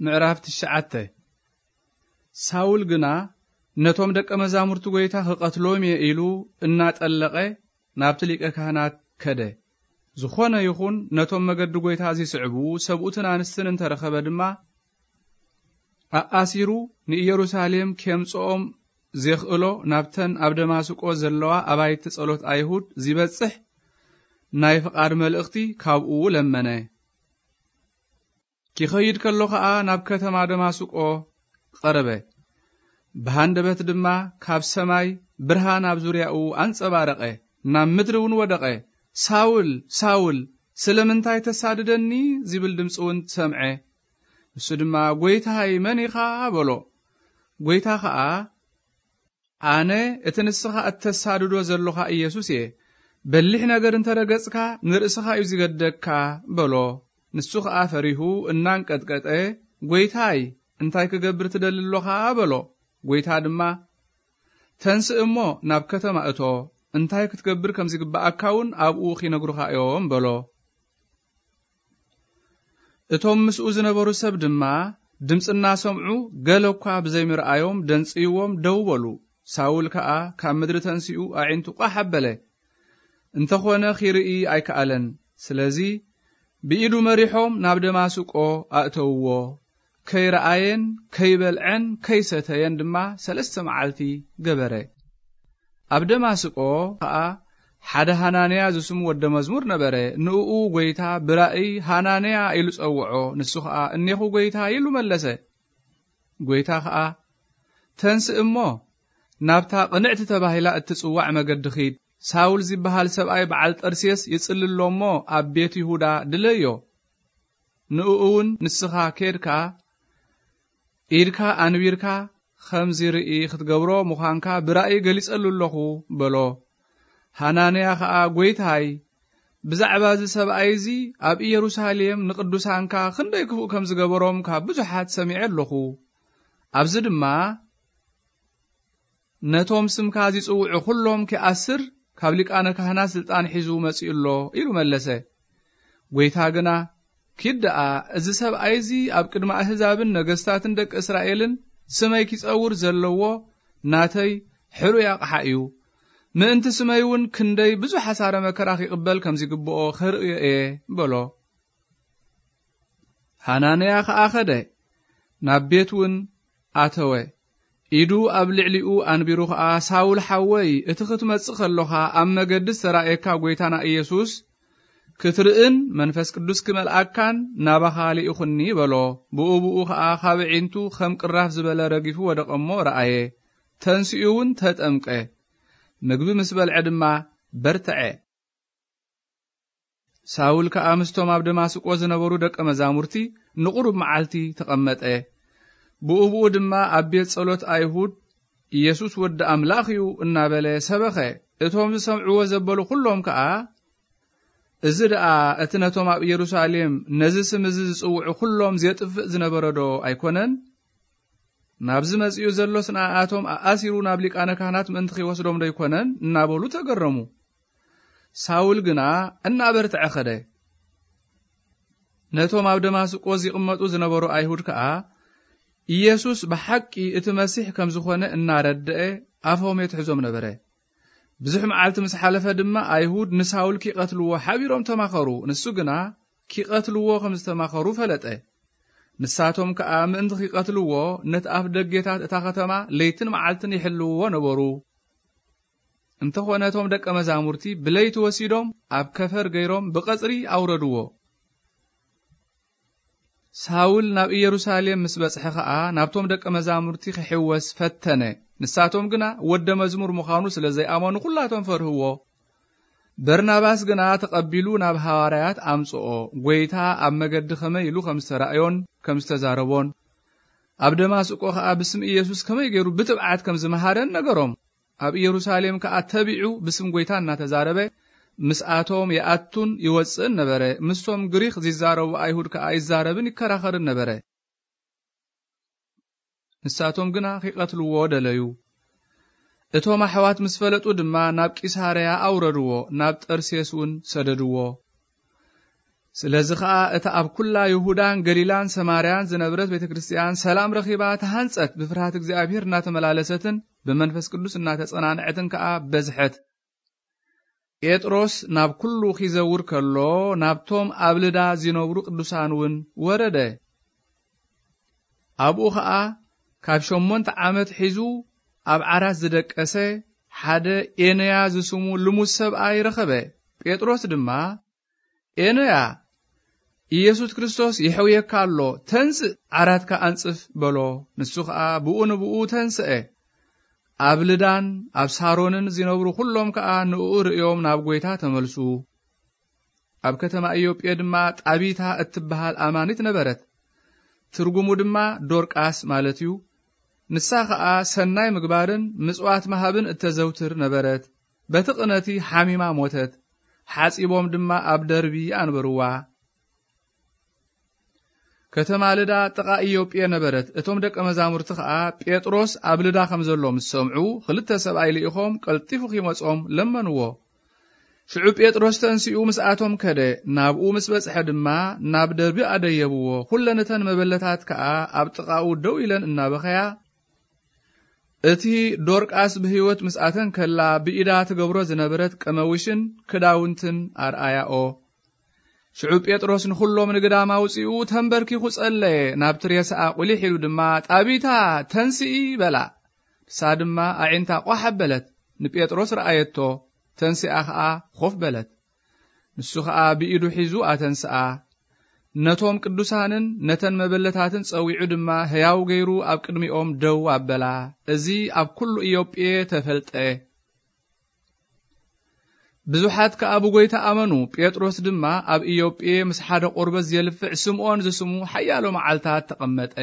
ምዕራፍ ትሽዓተ። ሳውል ግና ነቶም ደቀ መዛሙርቲ ጐይታ ክቐትሎም እየ ኢሉ እናጠለቐ ናብቲ ሊቀ ካህናት ከደ። ዝኾነ ይኹን ነቶም መገዲ ጐይታ ዚስዕቡ ሰብኡትን ኣንስትን እንተ ረኸበ ድማ፣ ኣኣሲሩ ንኢየሩሳሌም ኬምጽኦም ዜኽእሎ ናብተን ኣብ ደማስቆ ዘለዋ ኣባይቲ ጸሎት ኣይሁድ ዚበጽሕ ናይ ፍቓድ መልእኽቲ ካብኡ ለመነ። ኪኸይድ ከሎ ኸኣ ናብ ከተማ ደማስቆ ቐረበ። ብሃንደበት ድማ ካብ ሰማይ ብርሃን ኣብ ዙርያኡ ኣንጸባረቐ፣ ናብ ምድሪ እውን ወደቐ። "ሳውል፣ ሳውል፣ ስለምንታይ ተሳድደኒ?" ዚብል ድምጺ እውን ሰምዐ። ንሱ ድማ፣ "ጐይታይ፣ መን ኢኻ?" በሎ። ጐይታ ኸኣ፣ "ኣነ እቲ ንስኻ እተሳድዶ ዘሎኻ ኢየሱስ እየ። በሊሕ ነገር እንተ ረገጽካ፣ ንርእስኻ እዩ ዚገድደካ" በሎ። ንሱ ኸኣ ፈሪሁ እናንቀጥቀጠ፣ "ጐይታይ፣ እንታይ ክገብር ትደሊ ኣሎኻ?" በሎ። ጐይታ ድማ፣ "ተንስእ እሞ ናብ ከተማ እቶ፣ እንታይ ክትገብር ከም ዚግብኣካ እውን ኣብኡ ኺነግሩኻ እዮም" በሎ። እቶም ምስኡ ዝነበሩ ሰብ ድማ ድምጺ እናሰምዑ፣ ገለ እኳ ብዘይምርኣዮም ደንጽይዎም ደው በሉ። ሳውል ከኣ ካብ ምድሪ ተንሲኡ ኣዒንቱ ቋሕ ኣበለ። እንተኾነ ኺርኢ ኣይከኣለን። ስለዚ ብኢዱ መሪሖም ናብ ደማስቆ ኣእተውዎ። ከይረኣየን ከይበልዐን ከይሰተየን ድማ ሰለስተ መዓልቲ ገበረ። ኣብ ደማስቆ ኸኣ ሓደ ሃናንያ ዝስሙ ወደ መዝሙር ነበረ። ንእኡ ጐይታ ብራእይ፣ "ሃናንያ" ኢሉ ጸውዖ። ንሱ ኸኣ፣ "እኔኹ ጐይታ" ኢሉ መለሰ። ጐይታ ኸኣ፣ "ተንስእ እሞ ናብታ ቅንዕቲ ተባሂላ እትጽዋዕ መገዲ ኺድ። ሳውል ዚበሃል ሰብኣይ በዓል ጠርሴስ ይጽሊ ኣሎ እሞ፣ ኣብ ቤት ይሁዳ ድለዮ። ንእኡ እውን ንስኻ ኬድካ፣ ኢድካ ኣንቢርካ፣ ከም ዚርኢ ኽትገብሮ ምዃንካ ብራእይ ገሊጸሉ ኣለኹ" በሎ። ሃናንያ ኸኣ፣ "ጐይታይ፣ ብዛዕባ እዚ ሰብኣይ እዚ ኣብ ኢየሩሳሌም ንቅዱሳንካ ኽንደይ ክፉእ ከም ዝገበሮም ካብ ብዙሓት ሰሚዐ ኣለኹ። ኣብዚ ድማ ነቶም ስምካ ዚጽውዑ ኹሎም ኪኣስር ካብ ሊቃነ ካህናት ስልጣን ሒዙ መጺኡ ኣሎ" ኢሉ መለሰ። ጐይታ ግና፣ "ኪድ ደኣ፣ እዚ ሰብኣይ እዚ ኣብ ቅድሚ ኣህዛብን ነገስታትን ደቂ እስራኤልን ስመይ ኪጸውር ዘለዎ ናተይ ሕሩይ ኣቕሓ እዩ። ምእንቲ ስመይ እውን ክንደይ ብዙሕ ሓሳረ መከራ ኺቕበል ከም ዚግብኦ ኸርእዮ እየ" በሎ። ሃናንያ ኸኣ ኸደ፣ ናብ ቤት እውን ኣተወ። ኢዱ ኣብ ልዕሊኡ ኣንቢሩ ኸኣ፣ "ሳውል ሓወይ፣ እቲ ኽትመጽእ ኸሎኻ ኣብ መገዲ ዝተራእየካ ጐይታና ኢየሱስ ክትርእን መንፈስ ቅዱስ ክመልኣካን ናባኻ ልኢኹኒ" በሎ። ብኡ ብኡ ኸኣ ካብ ኣዒንቱ ኸም ቅራፍ ዝበለ ረጊፉ ወደቐ እሞ ረኣየ። ተንሲኡ እውን ተጠምቀ። ምግቢ ምስ በልዐ ድማ በርትዐ። ሳውል ከኣ ምስቶም ኣብ ደማስቆ ዝነበሩ ደቀ መዛሙርቲ ንቑሩብ መዓልቲ ተቐመጠ። ብኡ ብኡ ድማ ኣብ ቤት ጸሎት ኣይሁድ፣ "ኢየሱስ ወዲ ኣምላኽ እዩ" እናበለ ሰበኸ። እቶም ዝሰምዕዎ ዘበሉ ኹሎም ከኣ፣ "እዚ ደኣ እቲ ነቶም ኣብ ኢየሩሳሌም ነዚ ስም እዚ ዝጽውዑ ኹሎም ዜጥፍእ ዝነበረ ዶ ኣይኮነን? ናብዚ መጺኡ ዘሎስ ንኣኣቶም ኣኣሲሩ ናብ ሊቃነ ካህናት ምእንቲ ኺወስዶም ዶ ኣይኮነን?" እናበሉ ተገረሙ። ሳውል ግና እናበርትዐ ኸደ። ነቶም ኣብ ደማስቆ ዚቕመጡ ዝነበሩ ኣይሁድ ከኣ፣ ኢየሱስ ብሓቂ እቲ መሲሕ ከም ዝኾነ እናረድአ፣ ኣፎም የትሕዞም ነበረ። ብዙሕ መዓልቲ ምስ ሓለፈ ድማ፣ ኣይሁድ ንሳውል ኪቐትልዎ ሓቢሮም ተማኸሩ። ንሱ ግና ኪቐትልዎ ከም ዝተማኸሩ ፈለጠ። ንሳቶም ከኣ ምእንቲ ኺቐትልዎ፣ ነቲ ኣፍ ደጌታት እታ ኸተማ ለይትን መዓልትን ይሕልውዎ ነበሩ። እንተኾነ እቶም ደቀ መዛሙርቲ ብለይቲ ወሲዶም ኣብ ከፈር ገይሮም ብቐጽሪ ኣውረድዎ። ሳውል ናብ ኢየሩሳሌም ምስ በጽሐ ኸኣ ናብቶም ደቀ መዛሙርቲ ክሕወስ ፈተነ። ንሳቶም ግና ወደ መዝሙር ምዃኑ ስለ ዘይኣመኑ ኩላቶም ፈርህዎ። በርናባስ ግና ተቐቢሉ ናብ ሃዋርያት ኣምጽኦ፣ ጐይታ ኣብ መገዲ ኸመይ ኢሉ ከም ዝተራእዮን ከም ዝተዛረቦን፣ ኣብ ደማስቆ ኸኣ ብስም ኢየሱስ ከመይ ገይሩ ብትብዓት ከም ዝመሃረን ነገሮም። ኣብ ኢየሩሳሌም ከኣ ተቢዑ ብስም ጐይታ እናተዛረበ ምስኣቶም ይኣቱን ይወጽእን ነበረ። ምስቶም ግሪኽ ዚዛረቡ ኣይሁድ ከኣ ይዛረብን ይከራኸርን ነበረ። ንሳቶም ግና ኺቐትልዎ ደለዩ። እቶም ኣሕዋት ምስ ፈለጡ ድማ ናብ ቂሳርያ ኣውረድዎ፣ ናብ ጠርሴስ እውን ሰደድዎ። ስለዚ ኸኣ እታ ኣብ ኩላ ይሁዳን ገሊላን ሰማርያን ዝነብረት ቤተ ክርስቲያን ሰላም ረኺባ ተሃንጸት፣ ብፍርሃት እግዚኣብሔር እናተመላለሰትን ብመንፈስ ቅዱስ እናተጸናንዐትን ከኣ በዝሐት። ጴጥሮስ ናብ ኩሉ ኺዘውር ከሎ፣ ናብቶም ኣብ ልዳ ዚነብሩ ቅዱሳን እውን ወረደ። ኣብኡ ኸኣ ካብ ሸሞንተ ዓመት ሒዙ ኣብ ዓራት ዝደቀሰ ሓደ ኤነያ ዝስሙ ልሙስ ሰብኣይ ረኸበ። ጴጥሮስ ድማ፣ "ኤነያ፣ ኢየሱስ ክርስቶስ ይሕውየካ ኣሎ፣ ተንስእ፣ ዓራትካ ኣንጽፍ" በሎ። ንሱ ኸኣ ብኡ ንብኡ ተንስአ። ኣብ ልዳን ኣብ ሳሮንን ዝነብሩ ኩሎም ከኣ ንእኡ ርእዮም ናብ ጐይታ ተመልሱ። ኣብ ከተማ ኢዮጴ ድማ ጣቢታ እትበሃል ኣማኒት ነበረት። ትርጉሙ ድማ ዶርቃስ ማለት እዩ። ንሳ ኸኣ ሰናይ ምግባርን ምጽዋት ምሃብን እተዘውትር ነበረት። በቲ ቅነቲ ሓሚማ ሞተት። ሓጺቦም ድማ ኣብ ደርቢ ኣንበርዋ። ከተማ ልዳ ጥቓ ኢዮጴ ነበረት። እቶም ደቀ መዛሙርቲ ኸኣ ጴጥሮስ ኣብ ልዳ ከም ዘሎ ምስ ሰምዑ፣ ክልተ ሰብኣይ ልኢኾም ቀልጢፉ ኺመጾም ለመንዎ። ሽዑ ጴጥሮስ ተንሲኡ ምስኣቶም ከደ። ናብኡ ምስ በጽሐ ድማ ናብ ደርቢ ኣደየብዎ። ኩለን እተን መበለታት ከኣ ኣብ ጥቓኡ ደው ኢለን እናበኸያ፣ እቲ ዶርቃስ ብህይወት ምስኣተን ከላ ብኢዳ ትገብሮ ዝነበረት ቀመውሽን ክዳውንትን ኣርኣያኦ። ሽዑ ጴጥሮስ ንኹሎም ንግዳም ኣውጺኡ ተንበርኪኹ ጸለየ። ናብቲ ሬሳኣ ቁሊሕ ኢሉ ድማ፣ "ጣቢታ፣ ተንስኢ" በላ። ንሳ ድማ ኣዒንታ ቋሕ ኣበለት፣ ንጴጥሮስ ረኣየቶ፣ ተንሲኣ ኸኣ ኮፍ በለት። ንሱ ኸኣ ብኢዱ ሒዙ ኣተንስኣ። ነቶም ቅዱሳንን ነተን መበለታትን ጸዊዑ ድማ ሕያው ገይሩ ኣብ ቅድሚኦም ደው ኣበላ። እዚ ኣብ ኩሉ ኢዮጴ ተፈልጠ። ብዙሓት ከኣ ብጐይታ ኣመኑ። ጴጥሮስ ድማ ኣብ ኢዮጴ ምስ ሓደ ቆርበት ዜልፍዕ ስምዖን ዝስሙ ሓያሎ መዓልታት ተቐመጠ።